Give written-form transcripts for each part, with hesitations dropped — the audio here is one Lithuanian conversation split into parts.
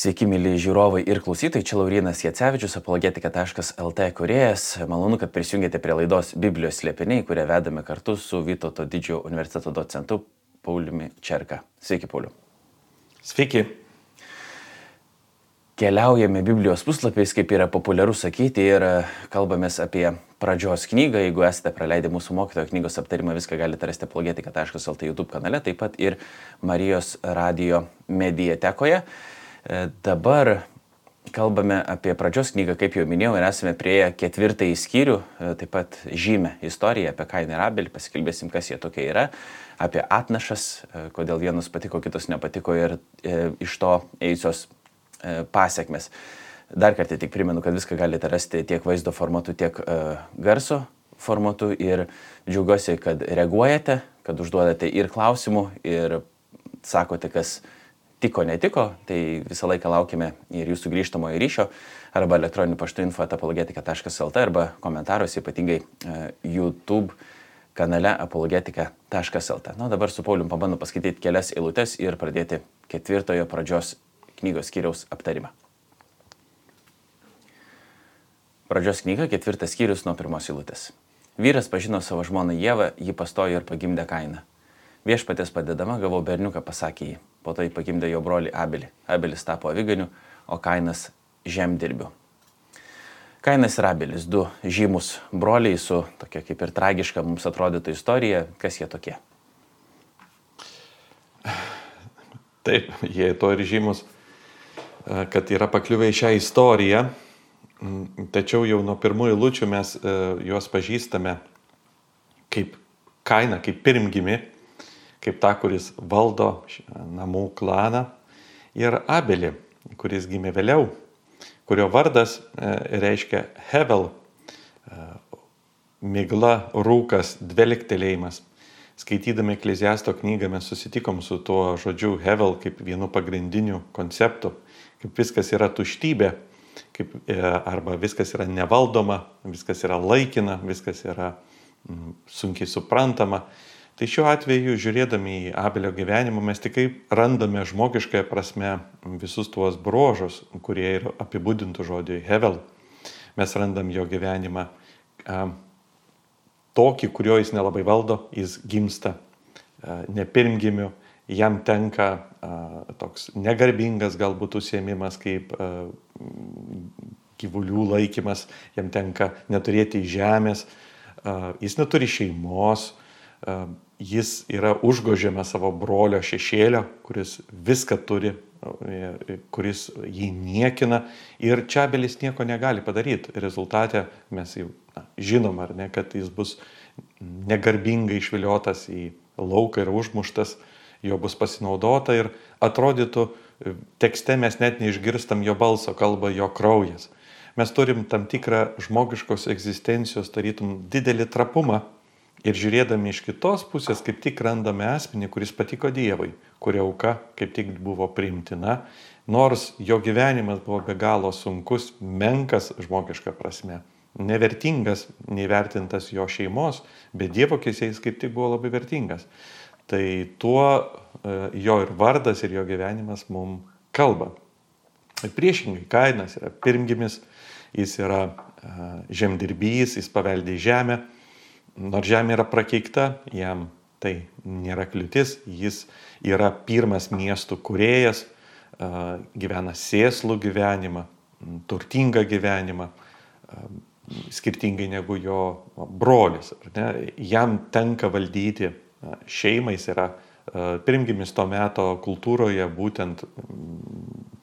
Sveiki, mėly žiūrovai ir klausytojai, čia Laurynas Jacevičius, apologetika.lt kūrėjas. Malonu, kad prisijungėte prie laidos Biblijos slėpiniai, kurią vedame kartu su Vytauto didžiojo universiteto docentu Pauliumi Čerka. Sveiki, Pauliu. Sveiki. Keliaujame Biblijos puslapiais, kaip yra populiaru sakyti, ir kalbamės apie pradžios knygą. Jeigu esate praleidę mūsų mokytojo knygos aptarimą, viską galite rasti apologetika.lt YouTube kanale, taip pat ir Marijos radijo mediatekoje. Dabar kalbame apie pradžios knygą, kaip jau minėjau, ir esame prieėję 4 skyrių, taip pat žymę istoriją apie Kainą ir Abelį, pasikalbėsim, kas jie tokie yra, apie atnašas, kodėl vienus patiko, kitus nepatiko ir iš to ėjusios pasiekmes. Dar kartą tik primenu, kad viską galite rasti tiek vaizdo formatu, tiek garso formatu ir džiaugiuosi, kad reaguojate, kad užduodate ir klausimų, ir sakote, kas tiko, netiko, tai visą laiką laukime ir jūsų grįžtamojo ryšio arba elektroniniu paštu info@apologetika.lt arba komentaruose, ypatingai YouTube kanale apologetika.lt. Na, dabar su Paulium pabandom paskaityti kelias eilutes ir pradėti 4 pradžios knygos skyriaus aptarimą. Pradžios knyga, 4 skyrius nuo 1 eilutės. Vyras pažino savo žmoną Ievą, ji pastojo ir pagimdė Kainą. Viešpaties padedama gavau berniuką, pasakė jį. Po to jį pagimdė jo brolį Abelį. Abelis tapo aviganiu, o Kainas žemdirbiu. Kainas ir Abelis, 2 žymus broliai su tokia kaip ir tragiška mums atrodytų istorija. Kas jie tokie? Taip, jie to ir žymus, kad yra pakliuvę į šią istoriją. Tačiau jau nuo pirmųjų eilučių mes juos pažįstame kaip Kainą, kaip pirmgimį, kaip tą, kuris valdo namų klaną, ir Abelį, kuris gimė vėliau, kurio vardas reiškia Hevel, migla, rūkas, dvelgtelėjimas. Skaitydami Ekleziasto knygą mes susitikom su tuo žodžiu Hevel kaip vienu pagrindiniu konceptu, kaip viskas yra tuštybė, arba viskas yra nevaldoma, viskas yra laikina, viskas yra sunkiai suprantama. Tai šiuo atveju, žiūrėdami į Abelio gyvenimą, mes tik randame žmogiškąją prasme visus tuos bruožus, kurie yra apibūdintų žodžiui Hevel. Mes randam jo gyvenimą tokį, kurio jis nelabai valdo, jis gimsta nepirmgimiu, jam tenka toks negarbingas galbūt užsiėmimas kaip gyvulių laikymas, jam tenka neturėti žemės, jis neturi šeimos, jis yra užgožiamas savo brolio šešėlio, kuris viską turi, kuris jį niekina, ir čia Abelis nieko negali padaryti. Rezultate mes jau žinom, ar ne, kad jis bus negarbingai išviliotas į lauką ir užmuštas, jo bus pasinaudota ir atrodytų, tekste mes net neišgirstam jo balso, kalba jo kraujas. Mes turim tam tikrą žmogiškos egzistencijos, tarytum didelį trapumą, ir žiūrėdami iš kitos pusės kaip tik randame asmenį, kuris patiko Dievui, kurio auka kaip tik buvo priimtina, nors jo gyvenimas buvo be galo sunkus, menkas žmogiška prasme, nevertingas, neįvertintas jo šeimos, bet Dievo akyse jis kaip tik buvo labai vertingas. Tai tuo jo ir vardas, ir jo gyvenimas mums kalba. Priešingai, Kainas yra pirmgimis, jis yra žemdirbys, jis paveldė žemę. Nors žemė yra prakeikta, jam tai nėra kliūtis, jis yra pirmas miestų kūrėjas, gyvena sėslų gyvenimą, turtingą gyvenimą, skirtingai negu jo brolis. Jam tenka valdyti šeimą, jis yra pirmgimis to meto kultūroje, būtent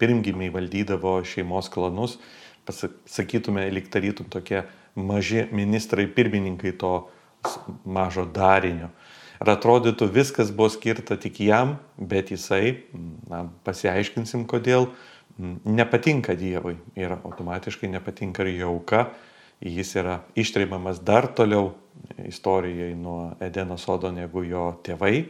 pirmgimiai valdydavo šeimos klanus, pasakytume, lyg tarytum tokie maži ministrai, pirmininkai to mažo darinio. Ir atrodytų, viskas buvo skirta tik jam, bet jisai, pasiaiškinsim kodėl, nepatinka Dievui ir automatiškai nepatinka ir jo auka. Jis yra ištreimamas dar toliau istorijai nuo Edeno sodo negu jo tėvai.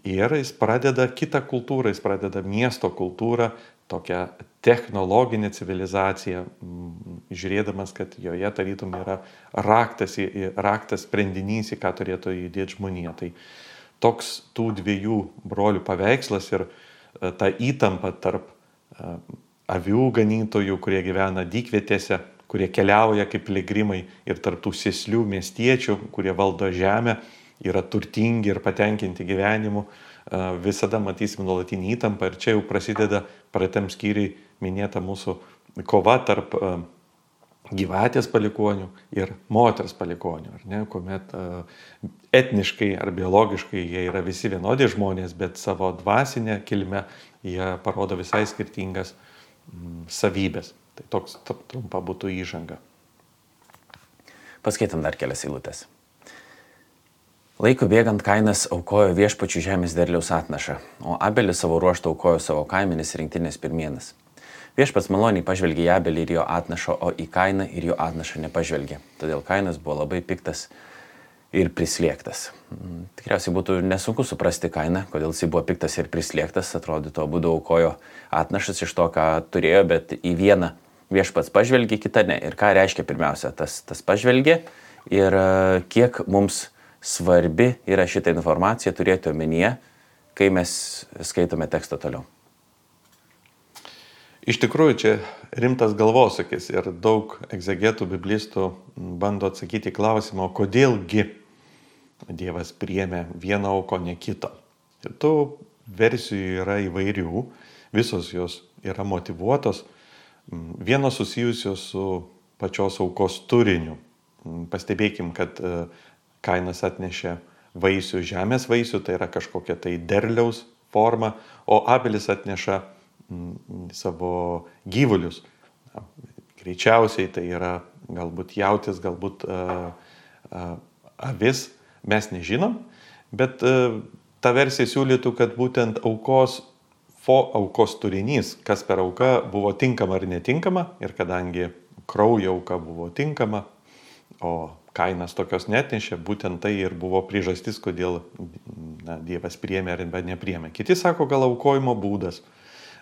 Ir jis pradeda kitą kultūrą, jis pradeda miesto kultūrą, tokią technologinę civilizaciją, žiūrėdamas, kad joje tarytum yra raktas sprendinys, į ką turėtų judėti žmonija. Tai toks tų 2 brolių paveikslas ir ta įtampa tarp avių ganytojų, kurie gyvena dykvietėse, kurie keliauja kaip piligrimai ir tarptų sėslių miestiečių, kurie valdo žemę, yra turtingi ir patenkinti gyvenimu. Visada matysim nuolatinį įtampą ir čia jau prasideda praeitam skyriui minėta mūsų kova tarp gyvatės palikonių ir moters palikonių, ar ne, kuomet etniškai ar biologiškai jie yra visi vienodi žmonės, bet savo dvasinę kilmę jie parodo visai skirtingas savybės. Tai toks trumpa būtų įžanga. Paskaitam dar kelias eilutes. Laiku bėgant Kainas aukojo viešpačių žemės derliaus atnašą, o Abelis savo ruožtu aukojo savo kaimenės rinktinės pirmienas. Viešpats maloniai pažvelgė į Abelį ir jo atnašą, o į Kainą ir jo atnašą nepažvelgė. Todėl Kainas buvo labai piktas ir prislėgtas. Tikriausiai būtų nesunku suprasti Kainą, kodėl jis buvo piktas ir prislėgtas. Atrodytų, abudu aukojo atnašas iš to, ką turėjo, bet į vieną viešpats pažvelgė, kitą ne. Ir ką reiškia pirmiausia, tas pažvelgė ir kiek mums svarbi yra šitą informaciją turėti omenyje, kai mes skaitome tekstą toliau. Iš tikrųjų, čia rimtas galvosūkis ir daug egzegetų, biblistų bando atsakyti klausimą, kodėlgi Dievas priėmė vieną auką, ne kitą. Ir tų versijų yra įvairių, visos jos yra motyvuotos, vienos susijusios su pačios aukos turiniu. Pastebėkim, kad Kainas atnešė vaisių, žemės vaisių, tai yra kažkokia tai derliaus forma, o Abelis atneša savo gyvulius. Greičiausiai tai yra galbūt jautis, galbūt avis, mes nežinom, bet ta versija siūlytų, kad būtent aukos turinys, kas per auką buvo tinkama ar netinkama, ir kadangi kraujo auka buvo tinkama, o Kainas tokios netnešė, būtent tai ir buvo priežastis, kodėl Dievas priėmė ar nepriėmė. Kiti sako, gal aukojimo būdas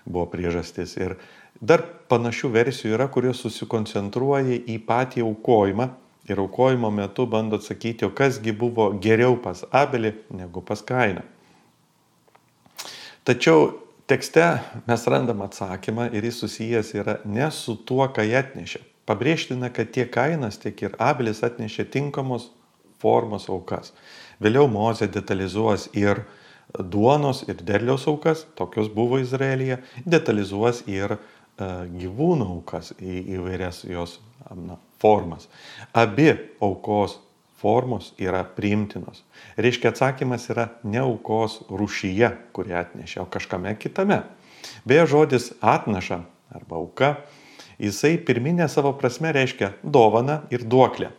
buvo priežastis. Ir dar panašių versijų yra, kurios susikoncentruoja į patį aukojimą ir aukojimo metu bando atsakyti, o kasgi buvo geriau pas Abelį negu pas Kainą. Tačiau tekste mes randam atsakymą ir jis susijęs yra ne su tuo, ką jie atnešė. Pabrėžtina, kad tiek Kainas, tiek ir Abelis atnešė tinkamos formos aukas. Vėliau Mozė detalizuos ir duonos ir derliaus aukas, tokios buvo Izraelyje, detalizuos ir gyvūnų aukas į įvairias jos formas. Abi aukos formos yra priimtinos. Reiškia, atsakymas yra ne aukos rūšyje, kurį atnešė, o kažkame kitame. Beje, žodis atnaša arba auka, jisai pirminė savo prasme reiškia dovaną ir duoklę,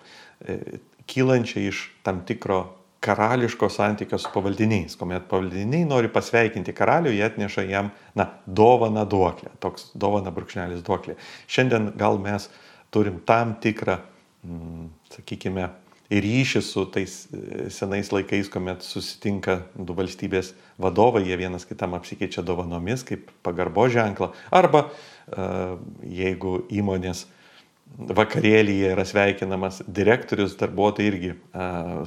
kylančią iš tam tikro karališko santykio su pavaldiniais. Kuomet pavaldiniai nori pasveikinti karalių, jie atneša jam dovaną duoklę, toks dovana brūkšnelis duoklė. Šiandien gal mes turim tam tikrą, sakykime, ryšį su tais senais laikais, kuomet susitinka du valstybės vadovai, jie vienas kitam apsikeičia dovanomis kaip pagarbo ženklą. Arba jeigu įmonės vakarėlyje yra sveikinamas direktorius, darbuotojai irgi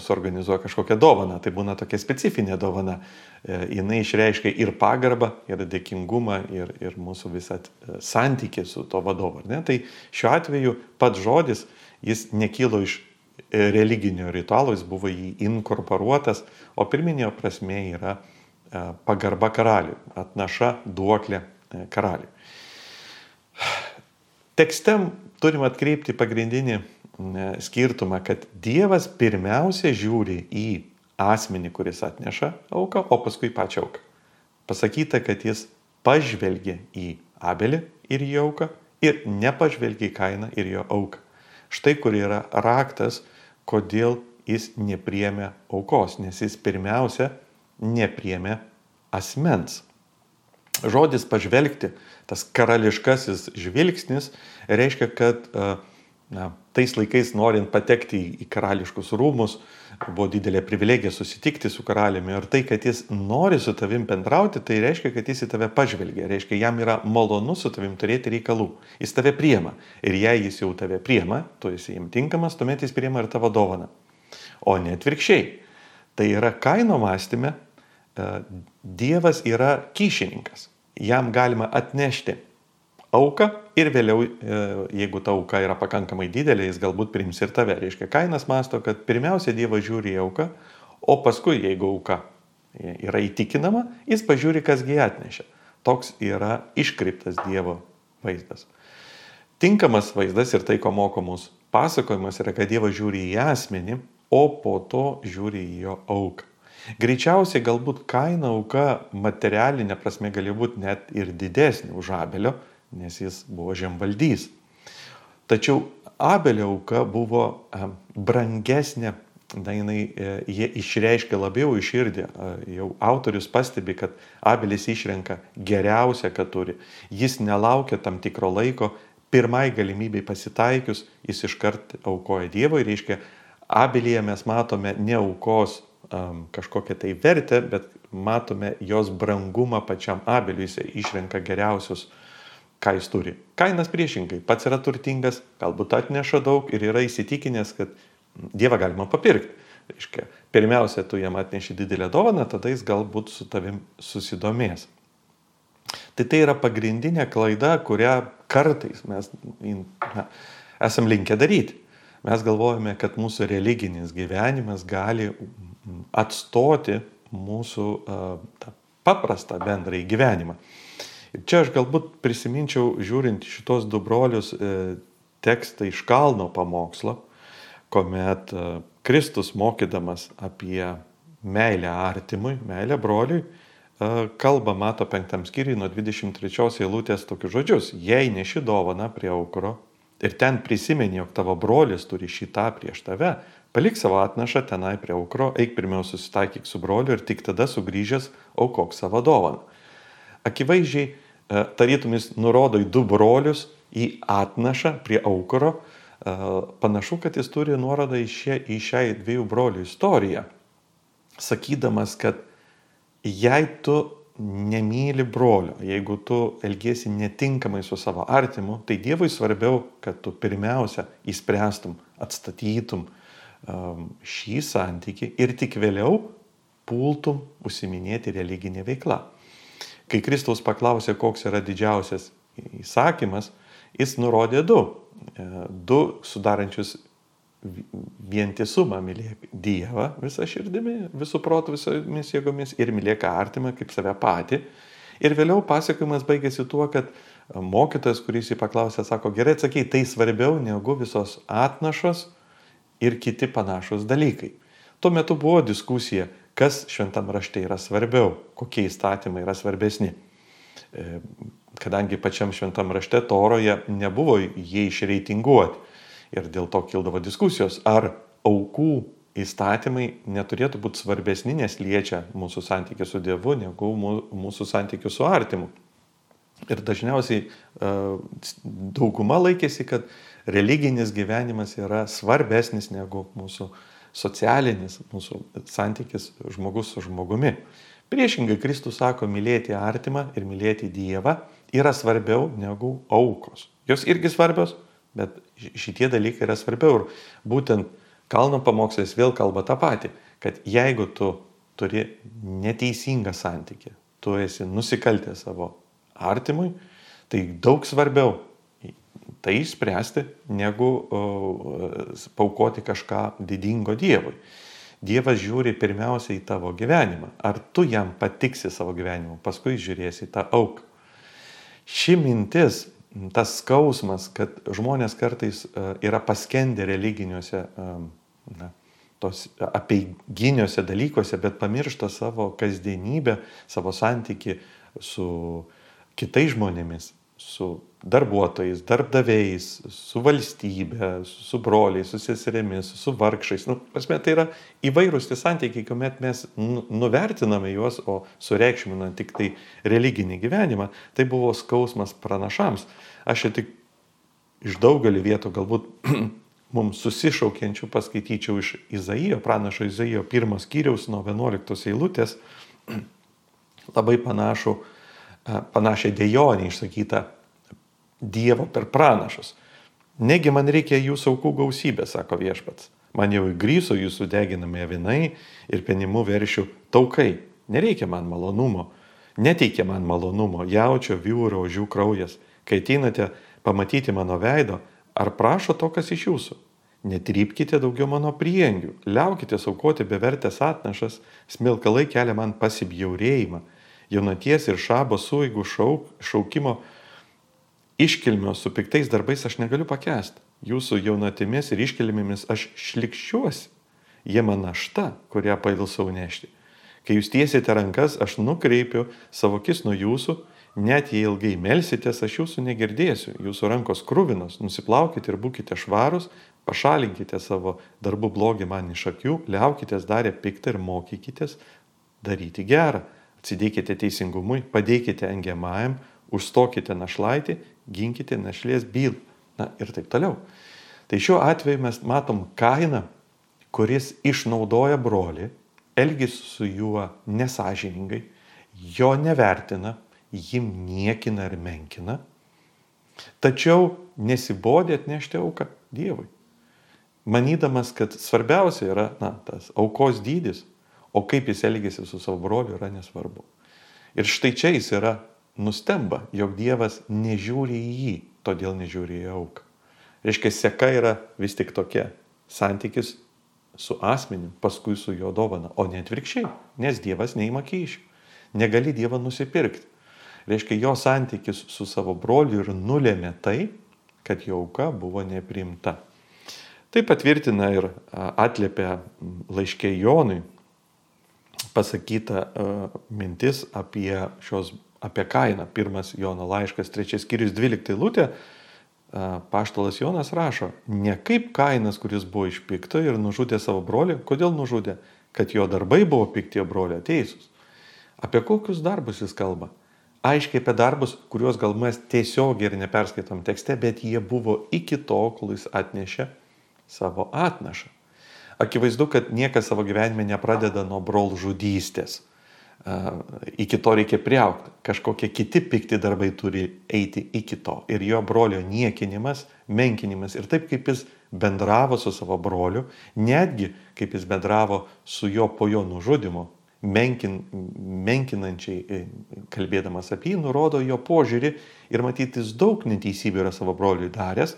suorganizuoja kažkokią dovaną. Tai būna tokia specifinė dovana. Jinai išreiškia ir pagarbą, ir dėkingumą, ir mūsų visą santykį su to vadovu. Tai šiuo atveju pats žodis, jis nekilo iš religinio ritualo, jis buvo jį inkorporuotas, o pirminė prasmė yra pagarba karaliui, atnaša duoklė karaliui. Tekste turim atkreipti pagrindinį skirtumą, kad Dievas pirmiausia žiūri į asmenį, kuris atneša auką, o paskui pačią auką. Pasakyta, kad jis pažvelgė į Abelį ir jo auką ir nepažvelgė į Kainą ir jo auką. Štai kur yra raktas, kodėl jis nepriėmė aukos, nes jis pirmiausia nepriėmė asmens. Žodis pažvelgti, tas karališkasis žvilgsnis, reiškia, kad tais laikais norint patekti į karališkus rūmus, buvo didelė privilegija susitikti su karaliumi. Ir tai, kad jis nori su tavim bendrauti, tai reiškia, kad jis į tave pažvelgia. Reiškia, jam yra malonu su tavim turėti reikalų. Jis tave priema. Ir jei jis jau tave priema, tu esi jam tinkamas, tuomet jis priema ir tavo dovaną. O ne atvirkščiai. Tai yra Kaino mąstyme, Dievas yra kyšininkas. Jam galima atnešti auką ir vėliau, jeigu ta auka yra pakankamai didelė, jis galbūt priims ir tave. Reiškia, Kainas mąsto, kad pirmiausia Dievas žiūri į auką, o paskui, jeigu auka yra įtikinama, jis pažiūri, kasgi atnešė. Toks yra iškreiptas Dievo vaizdas. Tinkamas vaizdas ir tai, ko moko mūsų pasakojimas, yra, kad Dievas žiūri į asmenį, o po to žiūri į jo auką. Greičiausiai galbūt Kaino auka materialinė prasme galėjo būti net ir didesnė už Abelio, nes jis buvo žemvaldys. Tačiau Abelio auka buvo brangesnė, jie išreiškia labiau į širdį. Jau autorius pastebi, kad Abelis išrenka geriausią, ką turi. Jis nelaukia tam tikro laiko, pirmai galimybei pasitaikius, jis iškart aukoja Dievui. Reiškia, Abelyje mes matome ne aukos kažkokią tai vertę, bet matome jos brangumą pačiam Abeliui, jis išrenka geriausius, ką jis turi. Kainas priešingai, pats yra turtingas, galbūt atneša daug ir yra įsitikinęs, kad Dievą galima papirkti. Reiškia, pirmiausia, tu jam atneši didelę dovaną, tada jis galbūt su tavim susidomės. Tai yra pagrindinė klaida, kurią kartais mes esam linkę daryti. Mes galvojame, kad mūsų religinis gyvenimas gali atstoti mūsų paprastą bendrąjį gyvenimą. Ir čia aš galbūt prisiminčiau, žiūrint šitos du brolius, tekstą iš Kalno pamokslo, kuomet Kristus mokydamas apie meilę artimui, meilę broliui, kalba Mato 5 skyriui nuo 23 eilutės tokius žodžius: jei neši dovaną prie aukuro ir ten prisimeni, jog tavo brolis turi šitą prieš tave, palik savo atnašą tenai prie aukuro, eik pirmiau susitaikyk su broliu ir tik tada sugrįžęs aukok savo dovaną. Akivaizdžiai, tarytum jis nurodo į du brolius, į atnašą prie aukuro. Panašu, kad jis turi nuorodą į šią dviejų brolių istoriją, sakydamas, kad jei tu nemyli brolio, jeigu tu elgiesi netinkamai su savo artimu, tai Dievui svarbiau, kad tu pirmiausia įspręstum, atstatytum šį santykį ir tik vėliau pultum užsiiminėti religinę veiklą. Kai Kristaus paklausė, koks yra didžiausias įsakymas, jis nurodė du sudarančius vientisumą: mylėk Dievą visą širdimi, visų protų, visomis jėgomis ir mylėk artimą kaip save patį. Ir vėliau pasakojimas baigėsi tuo, kad mokytojas, kuris jį paklausė, sako: gerai atsakei, tai svarbiau negu visos atnašos ir kiti panašus dalykai. Tuo metu buvo diskusija, kas šventam rašte yra svarbiau, kokie įstatymai yra svarbesni. Kadangi pačiam šventam rašte Toroje nebuvo jie išreitinguoti. Ir dėl to kildavo diskusijos, ar aukų įstatymai neturėtų būti svarbesni, nes liečia mūsų santykių su Dievu, negu mūsų santykių su artimu. Ir dažniausiai dauguma laikėsi, kad religinis gyvenimas yra svarbesnis negu mūsų socialinis, mūsų santykis žmogus su žmogumi. Priešingai, Kristus sako, mylėti artimą ir mylėti Dievą yra svarbiau negu aukos. Jos irgi svarbios, bet šitie dalykai yra svarbiau. Ir būtent Kalno pamokslas vėl kalba tą patį, kad jeigu tu turi neteisingą santykį, tu esi nusikaltęs savo artimui, tai daug svarbiau tai išspręsti, negu paaukoti kažką didingo Dievui. Dievas žiūri pirmiausia į tavo gyvenimą. Ar tu jam patiksi savo gyvenimu, paskui žiūrėsi tą auką. Ši mintis, tas skausmas, kad žmonės kartais yra paskendę religiniuose, tos apeiginiuose dalykuose, bet pamiršta savo kasdienybę, savo santykį su kitais žmonėmis, su darbuotojais, darbdaviais, su valstybe, su broliais, su seserimis, su vargšais. Tai yra įvairūs tie santykiai, kuomet mes nuvertiname juos, o sureikšminame tik tai religinį gyvenimą. Tai buvo skausmas pranašams. Aš čia tik iš daugelį vietų galbūt mums susišaukiančių paskaityčiau iš Izaijo, pranašo Izaijo 1 skyriaus nuo 11 eilutės, labai panašią dejonę išsakytą Dievo per pranašus. Negi man reikia jūsų aukų gausybę, sako Viešpats. Man jau įgryso jūsų deginami avinai ir penimų veršių taukai. Nereikia man malonumo, neteikia man malonumo jaučio, vyro, ožių kraujas. Kai ateinate pamatyti mano veido, ar prašo to, kas iš jūsų? Netrypkite daugiau mano prieangių, liaukite aukoti bevertės atnašas, smilkalai kelia man pasibjaurėjimą, jaunaties ir šabo sueigų šaukimo iškilmio su piktais darbais aš negaliu pakęsti. Jūsų jaunatimis ir iškilmėmis aš šlikščiuosi. Jie man našta, kurią pailsau nešti. Kai jūs tiesite rankas, aš nukreipiu savo akis nuo jūsų, net jei ilgai melsitės, aš jūsų negirdėsiu. Jūsų rankos kruvinos, nusiplaukite ir būkite švarus, pašalinkite savo darbų blogį man iš akių, liaukitės darę piktą ir mokykitės daryti gerą. Atsidėkite teisingumui, padėkite engiamajam, užstokite našlaitį, ginkite našlės bylą. Na ir taip toliau. Tai šiuo atveju mes matom Kainą, kuris išnaudoja brolį, elgisi su juo nesąžiningai, jo nevertina, jį niekina ir menkina, tačiau nesibodė atnešti auką Dievui. Manydamas, kad svarbiausia yra tas aukos dydis, o kaip jis elgėsi su savo broliu yra nesvarbu. Ir štai čia jis yra nustemba, jog Dievas nežiūri į jį, todėl nežiūri į auką. Reiškia, seka yra vis tik tokia santykis su asmeniu, paskui su jo dovana, o ne atvirkščiai, nes Dievas neima kyšių. Negali Dievą nusipirkti. Reiškia, jo santykis su savo broliu ir nulėmė tai, kad jo auka buvo nepriimta. Tai patvirtina ir atliepia laiške Jonui pasakyta mintis apie Kainą. 1 Jono laiškas, 3 skyrius, 12 eilutė. Apaštalas Jonas rašo, ne kaip Kainas, kuris buvo iš pikto ir nužudė savo brolį. Kodėl nužudė? Kad jo darbai buvo pikti, jo brolio teisūs. Apie kokius darbus jis kalba? Aiškiai apie darbus, kuriuos gal mes tiesiogiai ir neperskaitom tekste, bet jie buvo iki to, kol jis atnešė savo atnašą. Akivaizdu, kad niekas savo gyvenime nepradeda nuo brolžudystės. Iki to reikia priaugti. Kažkokie kiti pikti darbai turi eiti iki to. Ir jo brolio niekinimas, menkinimas ir taip, kaip jis bendravo su savo broliu, netgi kaip jis bendravo su jo po jo nužudymu, menkinančiai kalbėdamas apie jį, nurodo jo požiūrį ir matyti jis daug neteisybių yra savo broliui daręs,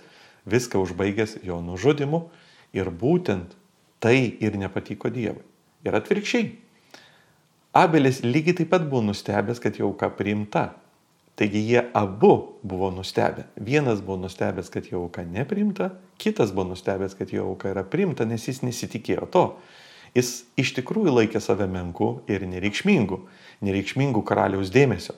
viską užbaigęs jo nužudymu ir būtent tai ir nepatiko Dievui. Ir atvirkščiai. Abelis lygiai taip pat buvo nustebęs, kad jo auka priimta. Taigi jie abu buvo nustebę. Vienas buvo nustebęs, kad jo auka nepriimta, kitas buvo nustebęs, kad jo auka yra priimta, nes jis nesitikėjo to. Jis iš tikrųjų laikė save menku ir nereikšmingų karaliaus dėmesio.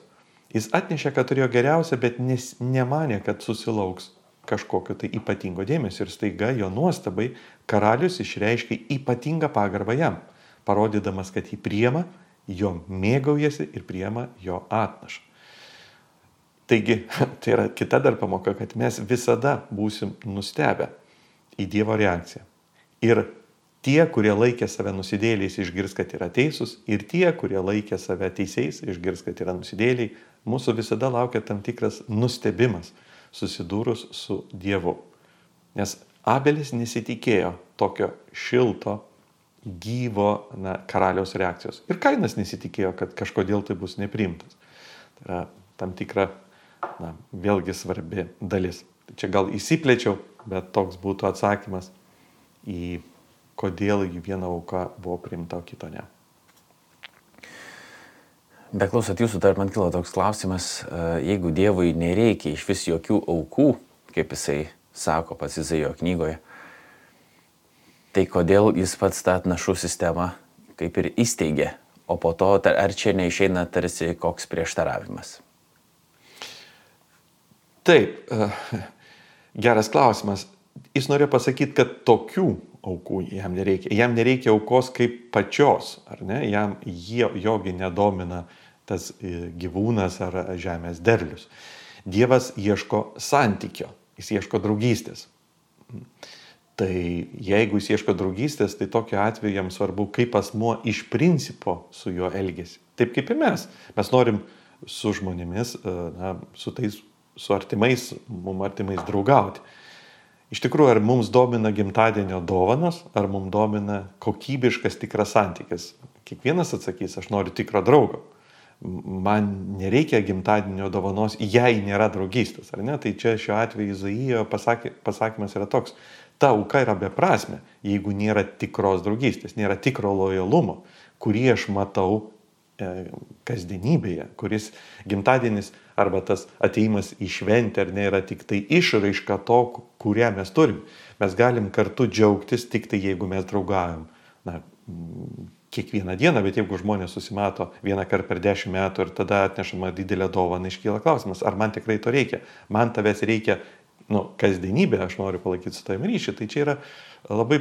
Jis atnešė, kad turėjo geriausia, bet nemanė, kad susilauks kažkokio tai ypatingo dėmesio. Ir staiga jo nuostabai karalius išreiškė ypatingą pagarbą jam, parodydamas, kad jį priima, jo mėgaujasi ir priima jo atnašą. Taigi, tai yra kita dar pamoka, kad mes visada būsim nustebę į Dievo reakciją. Ir tie, kurie laikė save nusidėliais, išgirs, kad yra teisūs, ir tie, kurie laikė save teisiais, išgirs, kad yra nusidėliai, mūsų visada laukia tam tikras nustebimas, susidūrus su Dievu. Nes Abelis nesitikėjo tokio šilto, gyvo karaliaus reakcijos. Ir Kainas nesitikėjo, kad kažkodėl tai bus nepriimtas. Tai yra tam tikra, vėlgi svarbi dalis. Čia gal įsiplėčiau, bet toks būtų atsakymas į kodėl viena auka buvo priimta, o kito ne. Beklausant jūsų, dar man kilo toks klausimas, jeigu Dievui nereikia iš vis jokių aukų, kaip jisai sako pats Izaijo knygoje, tai kodėl jis pats tą atnašų sistemą kaip ir įsteigė, o po to ar čia neišeina tarsi koks prieštaravimas? Taip, geras klausimas. Jis norėjo pasakyti, kad tokių aukų jam nereikia. Jam nereikia aukos kaip pačios, ar ne? Jogi nedomina tas gyvūnas ar žemės derlius. Dievas ieško santykio, jis ieško draugystės. Tai jeigu jis ieško draugystės, tai tokiu atveju jam svarbu, kaip asmuo iš principo su juo elgesi. Taip kaip ir mes. Mes norim su žmonėmis, su artimais, mums artimais draugauti. Iš tikrųjų, ar mums domina gimtadienio dovanos, ar mums domina kokybiškas tikras santykis? Kiekvienas atsakys, aš noriu tikro draugo. man nereikia gimtadienio dovanos, jei nėra draugystės, ar ne? Tai čia šiuo atveju Izaijo pasakymas yra toks, ta auka yra beprasmė, jeigu nėra tikros draugystės, nėra tikro lojalumo, kurį aš matau kasdienybėje, kuris gimtadienis arba tas ateimas į šventę ar ne yra tik tai išraiška to, kurią mes turim. Mes galim kartu džiaugtis tik tai, jeigu mes draugaujam. Na, kiekvieną dieną, bet jeigu žmonės susimato vieną kartą per 10 metų ir tada atnešama didelė dovana, iškyla klausimas, ar man tikrai to reikia. Man tavęs reikia, kasdienybė, aš noriu palaikyti su tavimi ryšį. Tai čia yra labai,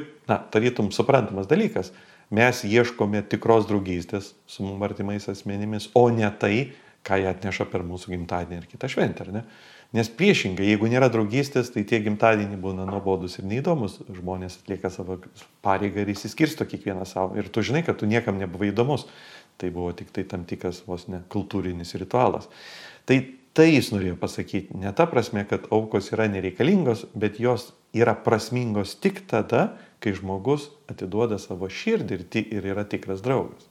tarytum suprantamas dalykas. Mes ieškome tikros draugystės su mums artimais asmenimis, o ne tai, ką jie atneša per mūsų gimtadienį ir kitą šventę, ar ne? Nes priešingai, jeigu nėra draugystės, tai tie gimtadieniai būna nuobodus ir neįdomus. Žmonės atlieka savo pareigą ir įsiskirsto kiekvieną savo. Ir tu žinai, kad tu niekam nebuvai įdomus. Tai buvo tik tai tam tikras vos ne kultūrinis ritualas. Tai jis norėjo pasakyti. Ne ta prasme, kad aukos yra nereikalingos, bet jos yra prasmingos tik tada, kai žmogus atiduoda savo širdį ir yra tikras draugas.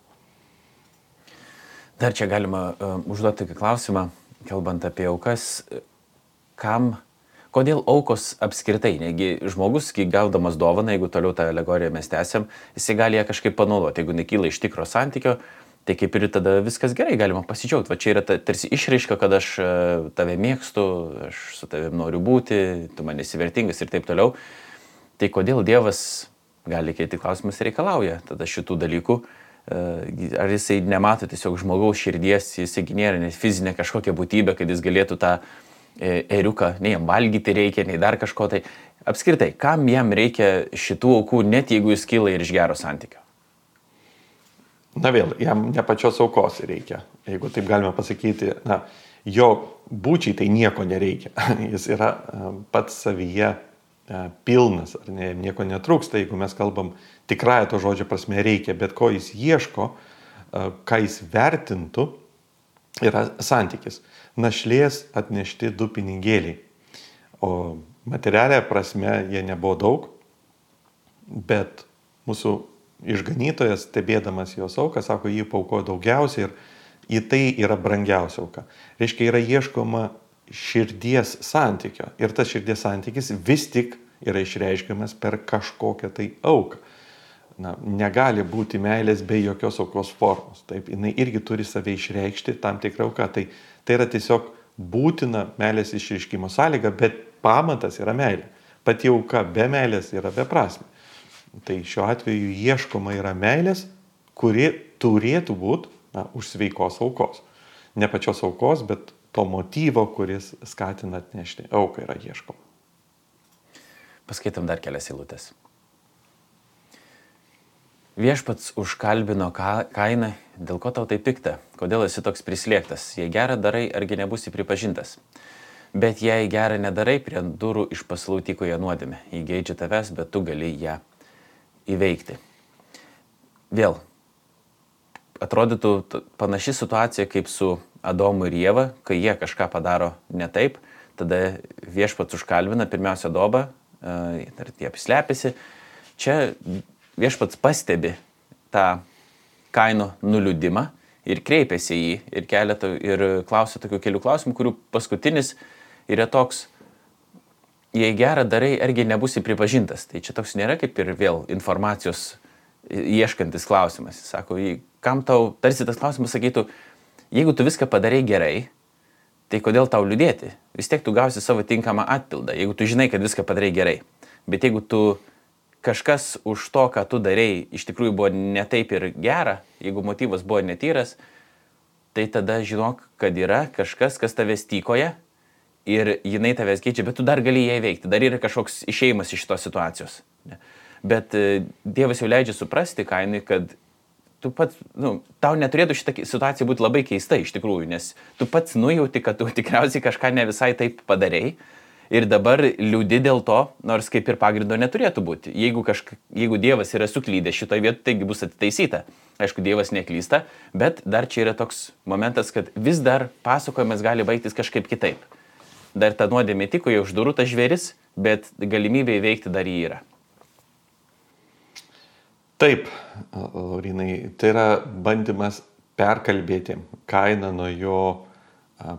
Dar čia galima užduoti tokį klausimą, kalbant apie aukas. Kodėl aukos apskritai? Negi žmogus, kai gaudamas dovaną, jeigu toliau tą alegoriją mes tęsiam, jisai gali ją kažkaip panaudoti. Jeigu nekyla iš tikro santykio, tai kaip ir tada viskas gerai, galima pasidžiaugti. Va čia yra tarsi išraiška, kad aš tave mėgstu, aš su tavim noriu būti, tu man esi vertingas ir taip toliau. Tai kodėl Dievas, gali keiti klausimas, reikalauja tada šitų dalykų? Ar jisai nemato tiesiog žmogaus širdies, jisai nėra net fizinė kažkokia būtybė, kad jis galėtų tą ėriuką, nei jam valgyti reikia, nei dar kažko. Tai apskritai, kam jam reikia šitų aukų, net jeigu jis kyla ir iš gero santykio? Na vėl, jam ne pačios aukos reikia. Jeigu taip galime pasakyti, jo būčiai tai nieko nereikia. Jis yra pats savyje pilnas, ar ne, nieko netrūksta. Jeigu mes kalbam tikrąją to žodžio prasme reikia, bet ko jis ieško, ką jis vertintų, yra santykis. Našlės atnešti 2 pinigėliai. O materialia prasme jie nebuvo daug, bet mūsų išganytojas, stebėdamas jos auką, sako, jį paukojo daugiausiai ir į tai yra brangiausia auka. Reiškia, yra ieškoma širdies santykio. Ir tas širdies santykis vis tik yra išreiškiamas per kažkokią tai auką. Negali būti meilės be jokios aukos formos. Taip, jinai irgi turi save išreikšti tam tikrą auką. Tai yra tiesiog būtina meilės išreiškimo sąlyga, bet pamatas yra meilė. Pati auka be meilės yra beprasmė. Tai šiuo atveju ieškoma yra meilės, kuri turėtų būti už sveikos aukos. Ne pačios aukos, bet to motyvo, kuris skatina atnešti auką, yra ieškoma. Paskaitom dar kelias eilutes. Viešpats užkalbino kainą, dėl ko tau tai pikta, kodėl esi toks prislėgtas, jei gerą darai, argi nebūsi pripažintas. Bet jei gerą nedarai, prie durų iš pasalų tykoja nuodėmė, jį geidžia tavęs, bet tu gali ją įveikti. Vėl, atrodytų panaši situacija kaip su Adomu ir Ieva, kai jie kažką padaro ne taip, tada viešpats užkalbina pirmiausia Adobą, jie apslepiasi. Čia viešpats pastebi tą Kaino nuliūdimą ir kreipiasi į jį ir klausia tokių kelių klausimų, kurių paskutinis yra toks, jei gerą darai, argi nebūsi pripažintas. Tai čia toks nėra kaip ir vėl informacijos ieškantis klausimas. Jis sako, kam tau, tarsi tas klausimas sakytų, jeigu tu viską padarai gerai, tai kodėl tau liūdėti? Vis tiek tu gausi savo tinkamą atpildą, jeigu tu žinai, kad viską padarai gerai. Bet jeigu kažkas už to, ką tu darei, iš tikrųjų buvo ne taip ir gera, jeigu motyvas buvo netyras, tai tada žinok, kad yra kažkas, kas tavęs tykoja ir jinai tavęs keičia, bet tu dar gali ją įveikti, dar yra kažkoks išėjimas iš šitos situacijos. Bet Dievas jau leidžia suprasti Kainui, kad tu pats, tau neturėtų šitą situaciją būti labai keista iš tikrųjų, nes tu pats nujauti, kad tu tikriausiai kažką ne visai taip padarei. Ir dabar liūdi dėl to, nors kaip ir pagrindo neturėtų būti. Jeigu Dievas yra suklydęs šitoje vietoje, taigi bus atitaisyta. Aišku, Dievas neklysta, bet dar čia yra toks momentas, kad vis dar pasakojimas gali baigtis kažkaip kitaip. Dar ta nuodėmė tykoja už durų tas žvėris, bet galimybė įveikti dar jį yra. Taip, Laurinai, tai yra bandymas perkalbėti Kainą nuo jo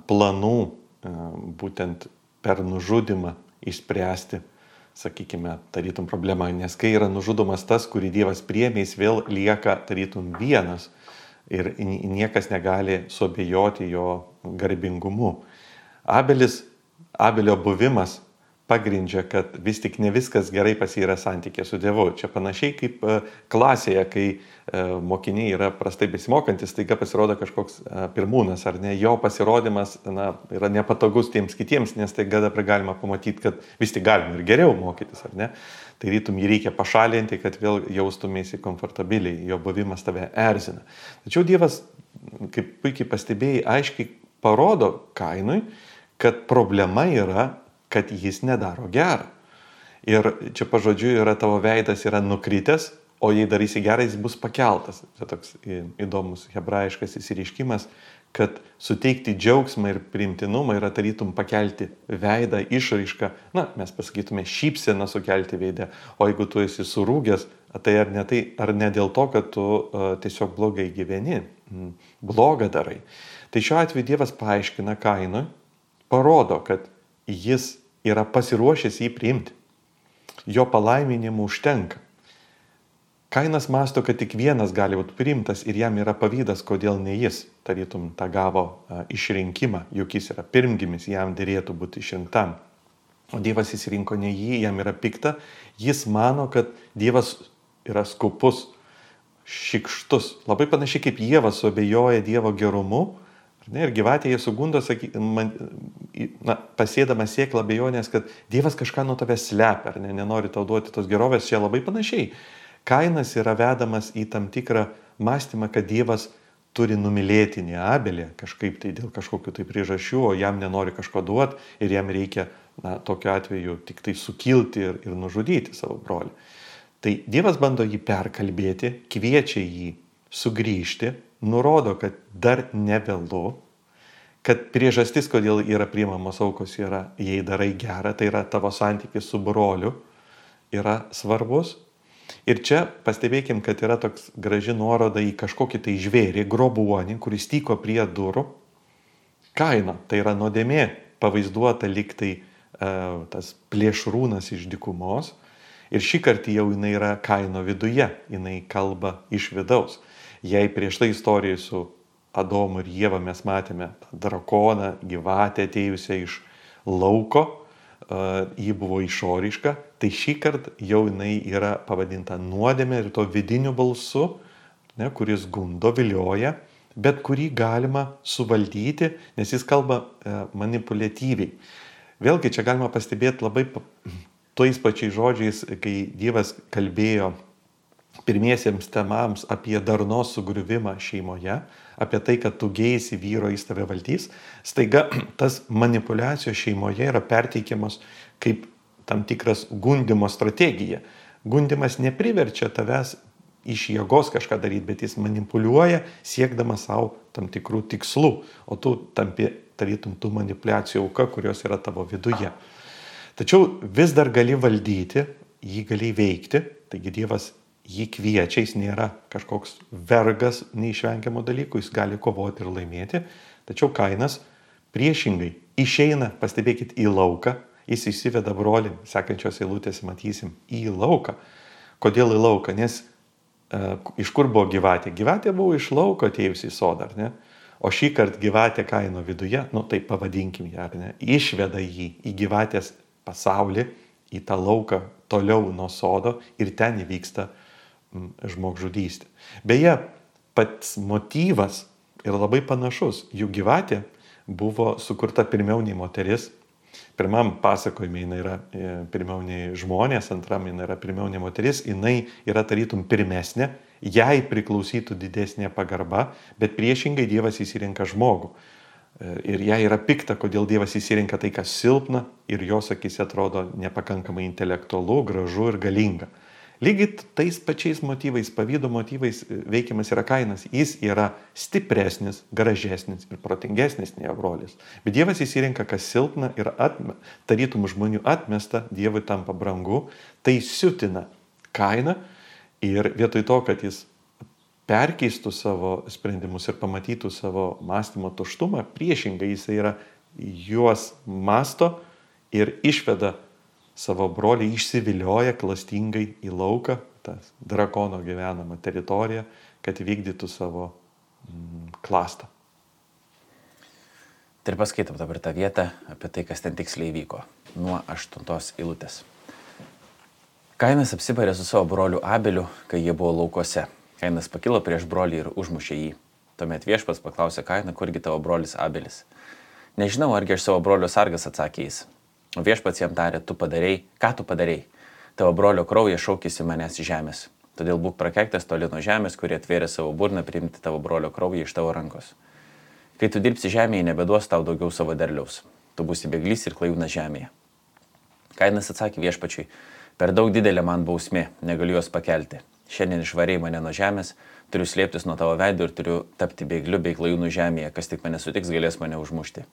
planų, būtent per nužudimą išspręsti, sakykime, tarytum problemą, nes kai yra nužudomas tas, kurį Dievas priėmė, jis vėl lieka tarytum vienas ir niekas negali suabejoti jo garbingumu. Abelio buvimas pagrindžia, kad vis tik ne viskas gerai pas jį yra santykė su Dievu. Čia panašiai kaip klasėje, kai mokiniai yra prastai besimokantis, staiga pasirodo kažkoks pirmūnas, ar ne, jo pasirodymas yra nepatogus tiems kitiems, nes staiga dabar galima pamatyti, kad vis tik galima ir geriau mokytis, ar ne. Tai rytum jį reikia pašalinti, kad vėl jaustumėsi komfortabiliai, jo buvimas tave erzina. Tačiau Dievas, kaip puikiai pastebėjai, aiškiai parodo Kainui, kad problema yra, kad jis nedaro gerą. Ir čia pažodžiu yra tavo veidas yra nukritęs, o jei darysi gerą, jis bus pakeltas. Tai toks įdomus hebrajiškas įsireiškimas, kad suteikti džiaugsmą ir priimtinumą yra tarytum pakelti veidą, išraišką, mes pasakytume šypseną sukelti veidę, o jeigu tu esi surūgęs, tai ar ne dėl to, kad tu tiesiog blogai gyveni, blogą darai. Tai šiuo atveju Dievas paaiškina Kainui, parodo, kad jis yra pasiruošęs jį priimti. Jo palaiminimų užtenka. Kainas mąsto, kad tik vienas gali būti priimtas ir jam yra pavydas, kodėl ne jis, tarytum, tą gavo išrinkimą, juk jis yra pirmgimis, jam dėrėtų būti išrinktam. O Dievas išrinko ne jį, jam yra pikta, jis mano, kad Dievas yra skupus, šykštus. Labai panašiai kaip Ieva suabejoja Dievo gerumu, ir gyvatėje sugundo, pasėdama sėklą abejonės, kad Dievas kažką nuo tavęs slepia, ar nenori tau duoti tos gerovės, čia labai panašiai. Kainas yra vedamas į tam tikrą mąstymą, kad Dievas turi numylėti ne Abelį kažkaip tai dėl kažkokių tai priežasčių, o jam nenori kažko duoti ir jam reikia tokiu atveju tik tai sukilti ir nužudyti savo brolį. Tai Dievas bando jį perkalbėti, kviečia jį sugrįžti, nurodo, kad dar nevėlu, kad priežastis, kodėl yra priimamos aukos, yra, jei darai gerą, tai yra tavo santykis su broliu, yra svarbus. Ir čia pastebėkim, kad yra toks graži nuoroda į kažkokį tai žvėrį, grobuonį, kuris tyko prie durų. Kaina, tai yra nuodėmė, pavaizduota lyg tai tas plėšrūnas iš dykumos. Ir šį kartą jau jinai yra Kaino viduje, jinai kalba iš vidaus. Jei prieš tai istorijoje su Adomu ir Ieva mes matėme tą drakoną, gyvatę atėjusią iš lauko, ji buvo išoriška, tai šį kartą jau jinai yra pavadinta nuodėmė ir to vidiniu balsu, kuris gundo, vilioja, bet kurį galima suvaldyti, nes jis kalba manipuliatyviai. Vėlgi čia galima pastebėti labai tais pačiais žodžiais, kai Dievas kalbėjo pirmiesiems temams apie darnos sugriuvimą šeimoje, apie tai, kad tu geisi vyro, jis tave valdys, staiga tas manipuliacijos šeimoje yra perteikiamas kaip tam tikras gundimo strategija. Gundimas nepriverčia tavęs iš jėgos kažką daryti, bet jis manipuliuoja siekdamas savo tam tikrų tikslų, o tu tampi tarytum tų manipuliacijų auka, kurios yra tavo viduje. Tačiau vis dar gali valdyti, jį gali veikti, taigi Dievas jį kviečia, jis nėra kažkoks vergas neišvengiamo dalykų, jis gali kovoti ir laimėti, tačiau Kainas priešingai išeina, pastebėkit, į lauką, jis įsiveda brolį, sekančios eilutės matysim, į lauką. Kodėl į lauką? Nes iš kur buvo gyvatė? Gyvatė buvo iš lauko atėjusi į sodą, ar ne? O šį kartą gyvatė Kaino viduje, tai pavadinkim ją, ar ne? Išveda jį į gyvatės pasaulį, į tą lauką toliau nuo sodo ir ten įvyksta žmogžudystė. Beje, pats motyvas yra labai panašus. Jų gyvatė buvo sukurta pirmiau nei moteris. Pirmam pasakojime jinai yra pirmiau nei žmonės, antram jinai yra pirmiau nei moteris, jinai yra tarytum pirmesnė, jai priklausytų didesnė pagarba, bet priešingai Dievas įsirenka žmogų. Ir jai yra pikta, kodėl Dievas įsirenka tai, kas silpna ir jos akise atrodo nepakankamai intelektualu, gražu ir galinga. Lygiai tais pačiais motyvais, pavydo motyvais veikiamas yra Kainas. Jis yra stipresnis, gražesnis ir protingesnis nei jo brolis. Bet Dievas įsirenka, kas silpna ir tarytum žmonių atmesta, Dievui tampa brangu, tai siutina Kainą ir vietoj to, kad jis perkeistų savo sprendimus ir pamatytų savo mąstymo tuštumą, priešingai jis yra juos masto ir išveda savo brolį, išsivilioja klastingai į lauką, tą drakono gyvenamą teritoriją, kad vykdytų savo klastą. Tai ir paskaitom dabar tą vietą apie tai, kas ten tiksliai vyko. Nuo 8 eilutės. Kainas apsibarė su savo broliu Abeliu, kai jie buvo laukuose. Kainas pakilo prieš brolį ir užmušė jį. Tuomet viešpats paklausė Kainą, kurgi tavo brolis Abelis. Nežinau, argi aš savo brolio sargas, atsakė jis. O viešpats jam tarė, ką tu padarei? Tavo brolio kraujas šaukėsi manęs iš žemės. Todėl būk prakeiktas toli nuo žemės, kurie atvėrė savo burną priimti tavo brolio kraują iš tavo rankos. Kai tu dirbsi žemėje, nebeduos tau daugiau savo derliaus. Tu būsi bėglys ir klajūnas žemėje. Kainas atsakė viešpačiui, per daug didelė man bausmė, negaliu jos pakelti. Šiandien išvarei mane nuo žemės, turiu slėptis nuo tavo veido ir turiu tapti bėgliu bei klajūnu žemėje, kas tik mane sutiks, galės mane užmušti.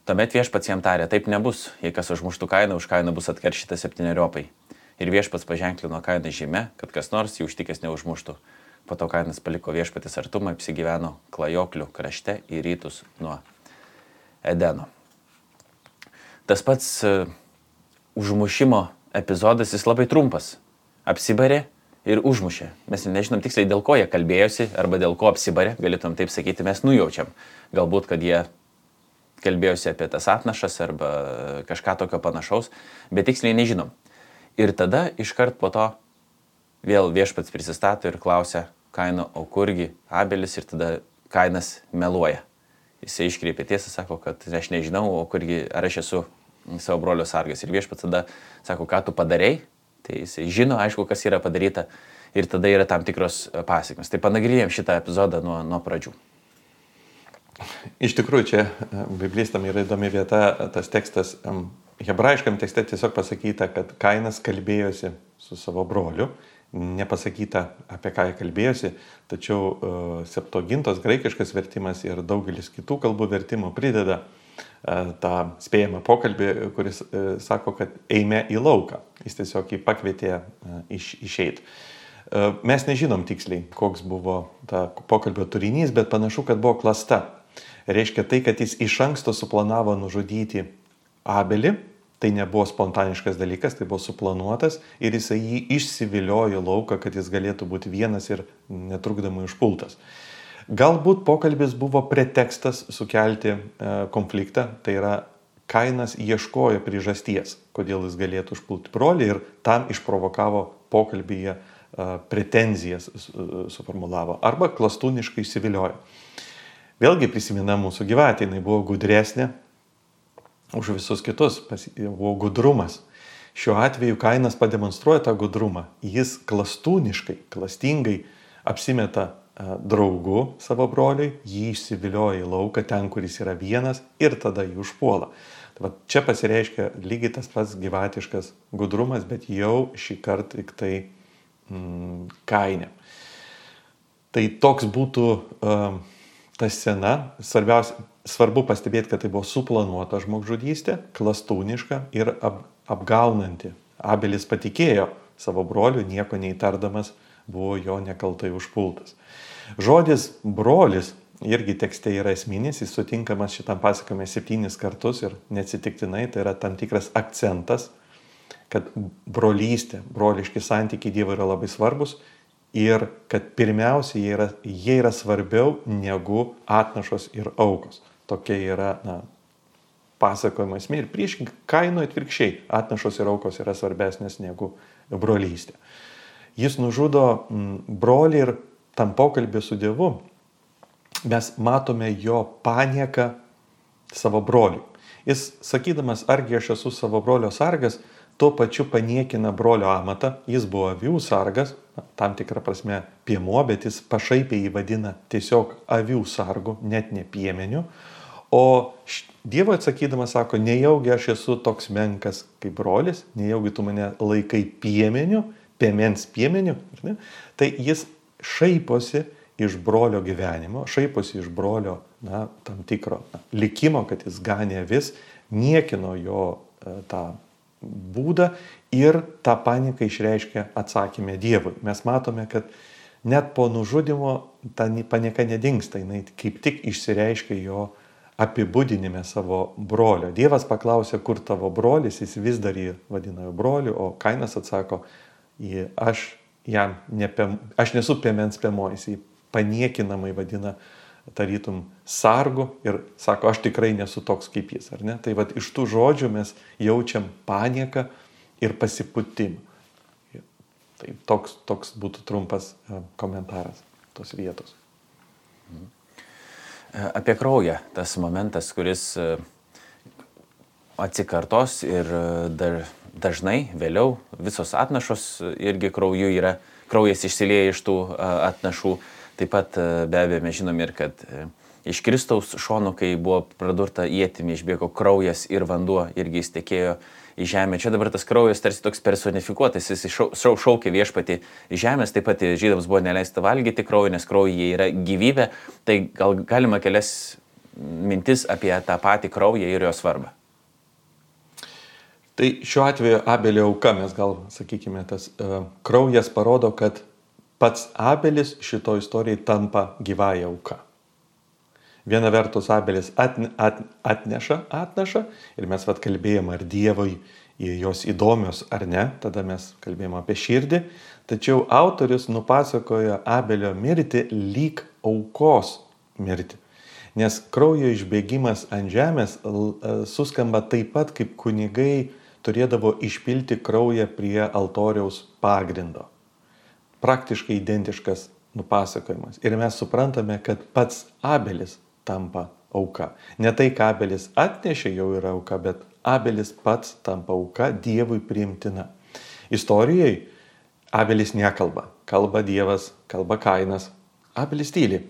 Tuomet viešpats jam tarė, taip nebus, jei kas užmuštų Kainą, už Kainą bus atkeršyta 7-eriopai. Ir viešpats paženklino Kainą žyme, kad kas nors jį užtikęs neužmuštų. Po to Kainas paliko viešpatės artumą, apsigyveno klajoklių krašte į rytus nuo Edeno. Tas pats užmušimo epizodas, jis labai trumpas. Apsibarė ir užmušė. Mes nežinom tiksliai, dėl ko jie kalbėjosi arba dėl ko apsibarė, galėtum taip sakyti, mes nujaučiam. Galbūt, kad jie kalbėjosi apie tas atnašas arba kažką tokio panašaus, bet tiksliai nežinom. Ir tada iškart po to vėl viešpats prisistato ir klausia Kaino, o kurgi Abelis, ir tada Kainas meluoja. Jisai iškreipė tiesą, sako, kad aš nežinau, o kurgi, ar aš esu savo brolio sargas. Ir viešpats tada sako, ką tu padarei, tai jisai žino, aišku, kas yra padaryta, ir tada yra tam tikros pasekmės. Tai panagrinėjom šitą epizodą nuo pradžių. Iš tikrųjų, čia biblistam yra įdomi vieta, tas tekstas, hebrajiškam tekste tiesiog pasakyta, kad Kainas kalbėjosi su savo broliu, nepasakyta, apie ką jie kalbėjosi, tačiau Septuagintos graikiškas vertimas ir daugelis kitų kalbų vertimų prideda tą spėjamą pokalbį, kuris sako, kad eime į lauką. Jis tiesiog jį pakvietė išeiti. Mes nežinom tiksliai, koks buvo ta pokalbio turinys, bet panašu, kad buvo klasta. Reiškia tai, kad jis iš anksto suplanavo nužudyti Abelį. Tai nebuvo spontaniškas dalykas, tai buvo suplanuotas ir jisai jį išsiviliojo lauką, kad jis galėtų būti vienas ir netrukdomai užpultas. Galbūt pokalbis buvo pretekstas sukelti konfliktą, tai yra Kainas ieškojo priežasties, kodėl jis galėtų užpulti brolį ir tam išprovokavo pokalbyje pretenzijas suformulavo arba klastūniškai įsiviliojo. Vėlgi prisimena mūsų gyvatė, jinai buvo gudresnė už visus kitus, buvo gudrumas. Šiuo atveju Kainas pademonstruoja tą gudrumą. Jis klastūniškai, klastingai apsimeta draugu savo broliui, jį išsivilioja į lauką ten, kur jis yra vienas ir tada jį užpuola. Tai va, čia pasireiškia lygiai tas pats gyvatiškas gudrumas, bet jau šį kartą tik tai Kaine. Tai toks būtų ta scena. Svarbu pastebėti, kad tai buvo suplanuota žmogžudystė, klastūniška ir apgaunanti. Abelis patikėjo savo broliu, nieko neįtardamas, buvo jo nekaltai užpultas. Žodis brolis irgi tekste yra esminis, jis sutinkamas šitam pasakojime 7 kartus ir neatsitiktinai, tai yra tam tikras akcentas, kad brolystė, broliški santykiai Dievui yra labai svarbus ir kad pirmiausia jie yra svarbiau negu atnašos ir aukos. Tokia yra pasakojimo esmė ir priešingai Kainui atvirkščiai atnašos ir aukos yra svarbesnės negu brolystė. Jis nužudo brolį ir tam pokalbį su Dievu mes matome jo panieką savo broliui. Jis sakydamas, argi aš esu savo brolio sargas, tuo pačiu paniekina brolio amatą. Jis buvo avių sargas, tam tikrą prasme piemuo, bet jis pašaipiai jį vadina tiesiog avių sargu, net ne piemeniu. O Dievo atsakydamas sako, nejaugi aš esu toks menkas kaip brolis, nejaugi tu mane laikai piemeniu, piemens piemeniu. Tai jis šaiposi iš brolio gyvenimo, šaiposi iš brolio tam tikro likimo, kad jis ganė avis, niekino jo tą būdą ir tą paniką išreiškia atsakymę Dievui. Mes matome, kad net po nužudimo ta panieka nedingsta, jinai kaip tik išsireiškia jo apibūdinime savo brolio. Dievas paklausė, kur tavo brolis, jis vis dar jį vadina jo broliu, o Kainas atsako, aš nesu piemens piemuo, jis jį paniekinamai vadina tarytum sargu ir sako, aš tikrai nesu toks kaip jis, ar ne? Tai vat iš tų žodžių mes jaučiam panieką ir pasipūtimą. Tai toks būtų trumpas komentaras tos vietos. Apie kraują, tas momentas, kuris atsikartos ir dažnai vėliau visos atnašos irgi krauju yra, kraujas išsilieja iš tų atnašų. Taip pat be abejo mes žinom ir, kad iš Kristaus šonų, kai buvo pradurta ietimi, išbėgo kraujas ir vanduo irgi įstekėjo į žemę. Čia dabar tas kraujas tarsi toks personifikuotas, jis šaukia viešpatį į žemės, taip pat žydams buvo neleista valgyti kraują, nes kraujyje yra gyvybė. Tai gal galima kelias mintis apie tą patį kraują ir jo svarbą. Tai šiuo atveju Abelio auka, mes gal sakykime, tas kraujas parodo, kad pats Abelis šito istorijai tampa gyvąja auka. Viena vertus Abelis atneša atnašą ir mes kalbėjom, ar Dievui jos įdomios ar ne, tada mes kalbėjom apie širdį, tačiau autorius nupasakoja Abelio mirtį lyg aukos mirtį. Nes kraujo išbėgimas ant žemės suskamba taip pat, kaip kunigai turėdavo išpilti kraują prie altoriaus pagrindo. Praktiškai identiškas nupasakojimas. Ir mes suprantame, kad pats Abelis tampa auka. Ne tai, ką Abelis atnešė, jau yra auka, bet Abelis pats tampa auka, Dievui priimtina. Istorijai Abelis nekalba. Kalba Dievas, kalba Kainas. Abelis tyli.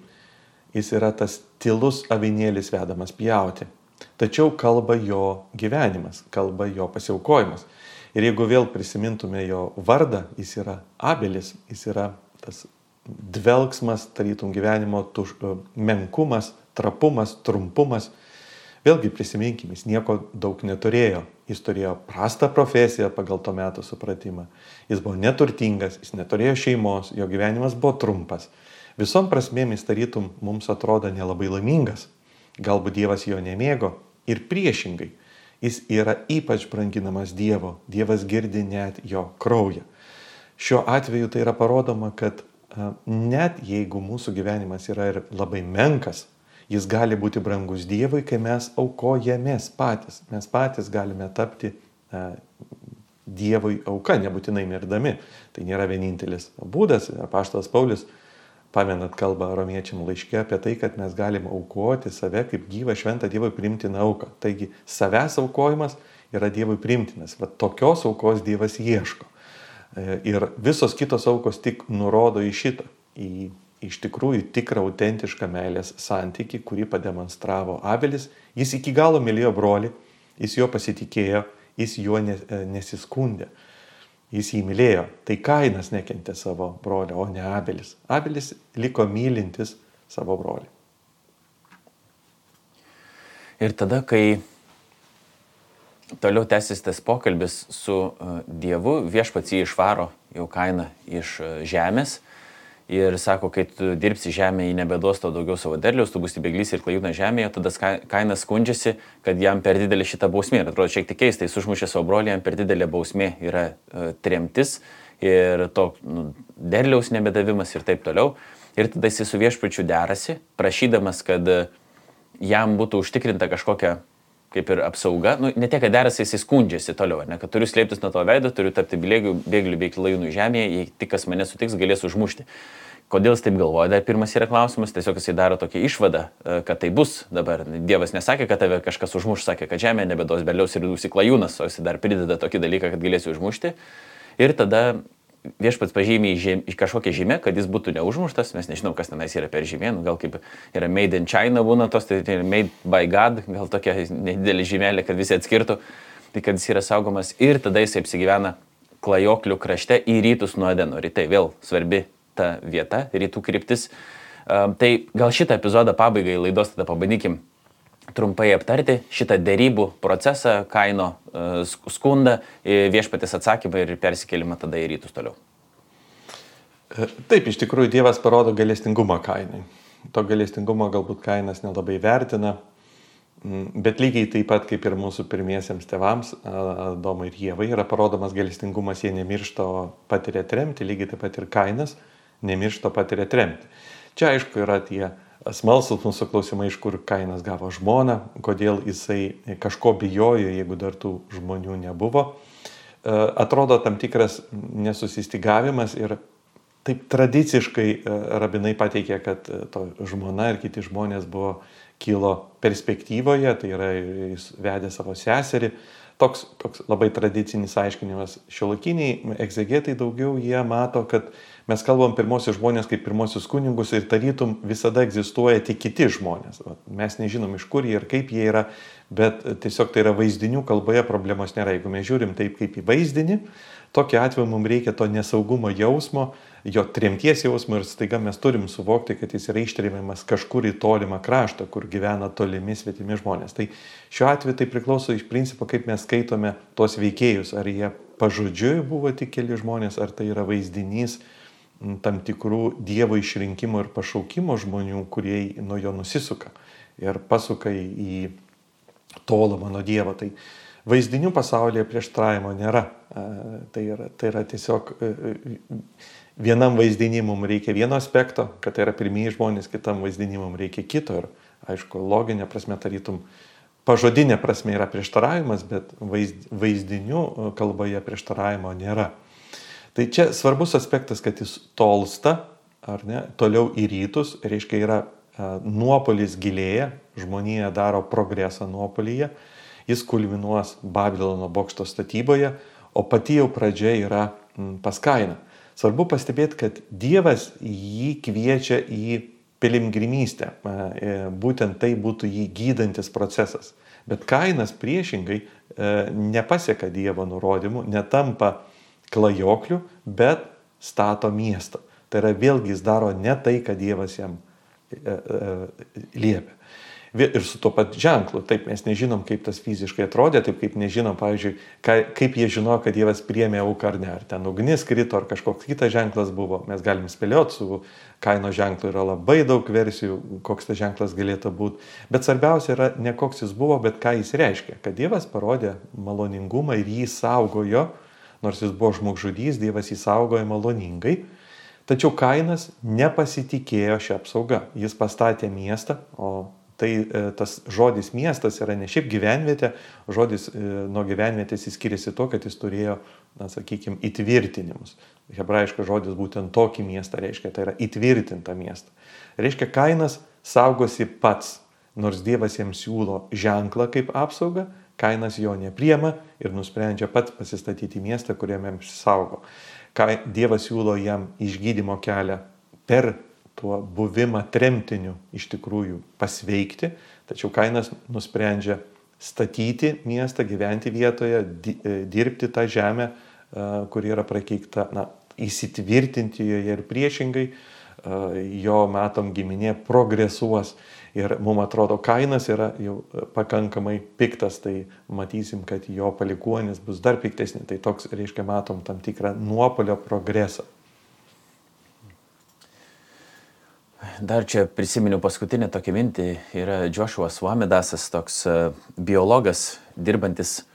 Jis yra tas tylus avinėlis vedamas pjauti. Tačiau kalba jo gyvenimas, kalba jo pasiaukojimas. Ir jeigu vėl prisimintume jo vardą, jis yra Abelis, jis yra tas dvelksmas, tarytum gyvenimo menkumas, trapumas, trumpumas. Vėlgi prisiminkime, jis nieko daug neturėjo. Jis turėjo prastą profesiją pagal to meto supratimą. Jis buvo neturtingas, jis neturėjo šeimos, jo gyvenimas buvo trumpas. Visom prasmėmis tarytum mums atrodo nelabai laimingas. Galbūt Dievas jo nemėgo ir priešingai. Jis yra ypač branginamas Dievo. Dievas girdi net jo kraują. Šiuo atveju tai yra parodoma, kad net jeigu mūsų gyvenimas yra ir labai menkas, jis gali būti brangus Dievui, kai mes aukojamės patys. Mes patys galime tapti Dievui auka, nebūtinai mirdami. Tai nėra vienintelis būdas. Apaštalas Paulius, pamenat, kalba romiečiam laiške apie tai, kad mes galime aukoti save kaip gyvą šventą Dievui priimtiną auką. Taigi savęs aukojimas yra Dievui priimtinas. Va tokios aukos Dievas ieško. Ir visos kitos aukos tik nurodo į šitą, į iš tikrųjų tikrą autentišką meilės santykį, kurį pademonstravo Abelis. Jis iki galo mylėjo brolį, jis jo pasitikėjo, jis juo nesiskundė. Jis jį mylėjo. Tai Kainas nekentė savo brolio, o ne Abelis. Abelis liko mylintis savo brolį. Ir tada, kai toliau tęsis tas pokalbis su Dievu, viešpats jį išvaro jau Kainą iš žemės ir sako, kai tu dirbsi žemėje, jį nebeduos tau daugiau savo derliaus, tu būsi bėglys ir klajūnas žemėje, tada Kainas skundžiasi, kad jam per didelė šita bausmė. Ir atrodo, šiek tiek keista, jis užmušė savo brolį, jam per didelė bausmė yra tremtis ir to derliaus nebedavimas ir taip toliau. Ir tada jis su viešpačiu derasi, prašydamas, kad jam būtų užtikrinta kažkokia kaip ir apsauga. Ne tiek, kad derasi, jis skundžiasi toliau, ne, kad turiu slėptis nuo to veido, turiu tapti bėgliu bei klajūnų žemėje, jei tik kas mane sutiks, galės užmušti. Kodėl jis taip galvoja? Dar pirmas yra klausimas, tiesiog jis daro tokią išvadą, kad tai bus dabar. Dievas nesakė, kad tave kažkas užmuš, sakė, kad žemė nebeduos derliaus ir dusi klajūnas, o jis dar prideda tokį dalyką, kad galėsi užmušti. Ir tada viešpats pažymė į kažkokią žymę, kad jis būtų neužmuštas. Mes nežinau, kas tenais yra per žymė, gal kaip yra made in China būna tos, tai made by God, gal tokia nedidelė žymelė, kad visi atskirtų, tai kad jis yra saugomas. Ir tada jis apsigyvena klajoklių krašte į rytus nuo Edeno. Rytai vėl svarbi ta vieta, rytų kryptis. Tai gal šitą epizodą pabaigai laidos tada pabandykim trumpai aptarti šitą derybų procesą, Kaino skundą, viešpatės atsakymą ir persikėlimą tada į rytus toliau. Taip, iš tikrųjų Dievas parodo gailestingumą Kainui. To gailestingumo galbūt Kainas nelabai vertina, bet lygiai taip pat kaip ir mūsų pirmiesiems tėvams, Adomui ir Ievai, yra parodomas gailestingumas, jie nemiršta, o patiria tremtį, lygiai taip pat ir Kainas nemiršta, patiria tremtį. Čia aišku yra tie smalsūs mūsų klausimai, iš kur Kainas gavo žmoną, kodėl jisai kažko bijojo, jeigu dar tų žmonių nebuvo. Atrodo tam tikras nesusistygavimas ir taip tradiciškai rabinai pateikė, kad to žmona ir kiti žmonės kilo perspektyvoje, tai yra jis vedė savo seserį. Toks labai tradicinis aiškinimas. Šiuolaikiniai egzegetai daugiau jie mato, kad mes kalbam pirmosius žmonės kaip pirmosius kunigus ir tarytum visada egzistuoja tik kiti žmonės. Mes nežinom iš kur jie ir kaip jie yra, bet tiesiog tai yra vaizdinių kalboje problemos nėra. Jeigu mes žiūrim taip kaip į vaizdinį, tokiu atveju mums reikia to nesaugumo jausmo, jo tremties jausmo ir staiga mes turim suvokti, kad jis yra ištremiamas kažkur į tolimą kraštą, kur gyvena tolimi svetimi žmonės. Tai šiuo atveju tai priklauso iš principo, kaip mes skaitome tuos veikėjus. Ar jie pažodžiui buvo tik keli žmonės, ar tai yra vaizdinys tam tikrų Dievo išrinkimo ir pašaukimo žmonių, kurie nuo jo nusisuka ir pasuka į tolumą nuo Dievo. Tai vaizdinių pasaulyje prieštaravimo nėra. Tai yra tiesiog vienam vaizdinį mums reikia vieno aspekto, kad tai yra pirmieji žmonės, kitam vaizdinį mums reikia kito. Ir aišku, loginė prasme, tarytum, pažodinė prasme yra prieštaravimas, bet vaizdinių kalboje prieštaravimo nėra. Tai čia svarbus aspektas, kad jis tolsta, ar ne, toliau į rytus, reiškia yra nuopolis gilėja, žmonija daro progresą nuopolyje, jis kulminuos Babilono bokšto statyboje, o pati jau pradžia yra pas Kainą. Svarbu pastebėti, kad Dievas jį kviečia į piligrimystę, būtent tai būtų jį gydantis procesas. Bet Kainas priešingai nepaseka Dievo nurodymų, netampa klajokliu, bet stato miestą. Tai yra vėlgi jis daro ne tai, ką Dievas jam liepia. Ir su tuo pat ženklu. Taip, mes nežinom, kaip tas fiziškai atrodė, taip kaip nežinom, pavyzdžiui, kaip jie žino, kad Dievas priėmė auką ar ne. Ar ten ugnis krito, ar kažkoks kitas ženklas buvo. Mes galim spėlioti, su Kaino ženklu yra labai daug versijų, koks tas ženklas galėtų būti. Bet svarbiausia yra ne koks jis buvo, bet ką jis reiškia. Kad Dievas parodė maloningumą ir jį saugojo, nors jis buvo žmogžudys, Dievas jį saugojo maloningai. Tačiau Kainas nepasitikėjo šią apsaugą. Jis pastatė miestą, o tai tas žodis miestas yra ne šiaip gyvenvietė, žodis nuo gyvenvietės jis skiriasi to, kad jis turėjo, sakykime, įtvirtinimus. Hebrajiškas žodis būtent tokį miestą reiškia, tai yra įtvirtintą miestą. Reiškia, Kainas saugosi pats, nors Dievas jam siūlo ženklą kaip apsaugą, Kainas jo nepriema ir nusprendžia pats pasistatyti miestą, kuriame jam saugo. Dievas siūlo jam išgydymo kelią per tuo buvimą tremtiniu iš tikrųjų pasveikti, tačiau Kainas nusprendžia statyti miestą, gyventi vietoje, dirbti tą žemę, kuri yra prakeikta, įsitvirtinti joje ir priešingai, jo matom giminė progresuos ir mums atrodo Kainas yra jau pakankamai piktas, tai matysim, kad jo palikuonis bus dar piktesni, tai toks reiškia matom tam tikrą nuopolio progresą. Dar čia prisiminiau paskutinę tokią mintį, yra Joshua Swamidasas, toks biologas, dirbantis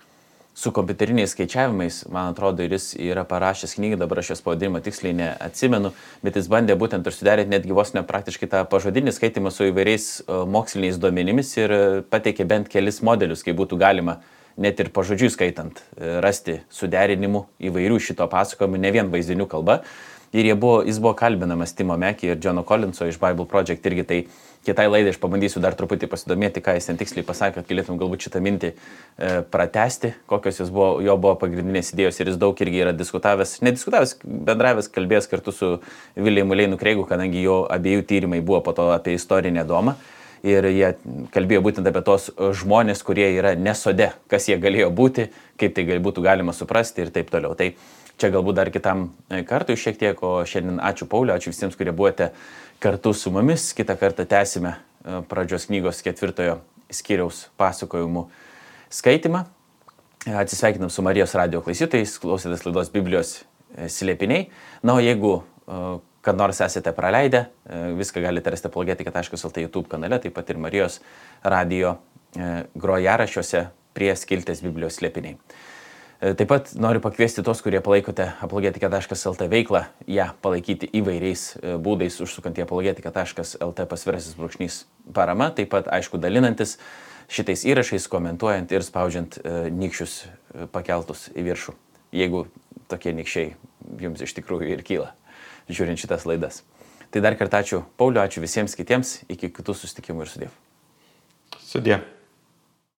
su kompiuteriniais skaičiavimais, man atrodo, ir jis yra parašęs knygą, dabar aš jos pavadinimą tiksliai neatsimenu, bet jis bandė būtent ir suderinti netgi vos ne praktiškai tą pažodinį skaitimą su įvairiais moksliniais duomenimis ir pateikė bent kelis modelius, kaip būtų galima net ir pažodžiui skaitant rasti suderinimų įvairių šito pasakojimų, ne vien vaizdinių kalba. Ir jis buvo kalbinamas Timo Mekį ir Johno Collinso iš Bible Project irgi, tai kitai laidai aš pabandysiu dar truputį pasidomėti, ką jis ten tiksliai pasakė, kad galėtum galbūt šitą mintį pratesti, kokios jo buvo pagrindinės idėjos ir jis daug irgi yra bendravęs, kalbėjęs kartu su Williamu Leinu Kreigu, kadangi jo abiejų tyrimai buvo po to apie istorinę Adomą. Ir jie kalbėjo būtent apie tos žmonės, kurie yra nesode, kas jie galėjo būti, kaip tai būtų galima suprasti ir taip toliau. Tai čia galbūt dar kitam kartui šiek tiek, o šiandien ačiū Pauliu, ačiū visiems, kurie buvote kartu su mumis. Kitą kartą tęsime pradžios knygos 4 skyriaus pasakojimų skaitimą. Atsisveikinam su Marijos radijo klausytojais, klausėtės laidos Biblijos slėpiniai. Na, o jeigu kad nors esate praleidę, viską galite rasti apologetika.lt YouTube kanale, taip pat ir Marijos radio grojaraščiuose prie skiltės Biblijos slėpiniai. Taip pat noriu pakviesti tos, kurie palaikote apologetika.lt veiklą, ją palaikyti įvairiais būdais, užsukant į apologetika.lt / parama, taip pat, aišku, dalinantis šitais įrašais, komentuojant ir spaudžiant nykščius pakeltus į viršų, jeigu tokie nykščiai jums iš tikrųjų ir kyla, žiūrint šitas laidas. Tai dar kartą ačiū Pauliu, ačiū visiems kitiems, iki kitų susitikimų ir sudiev. Sudie.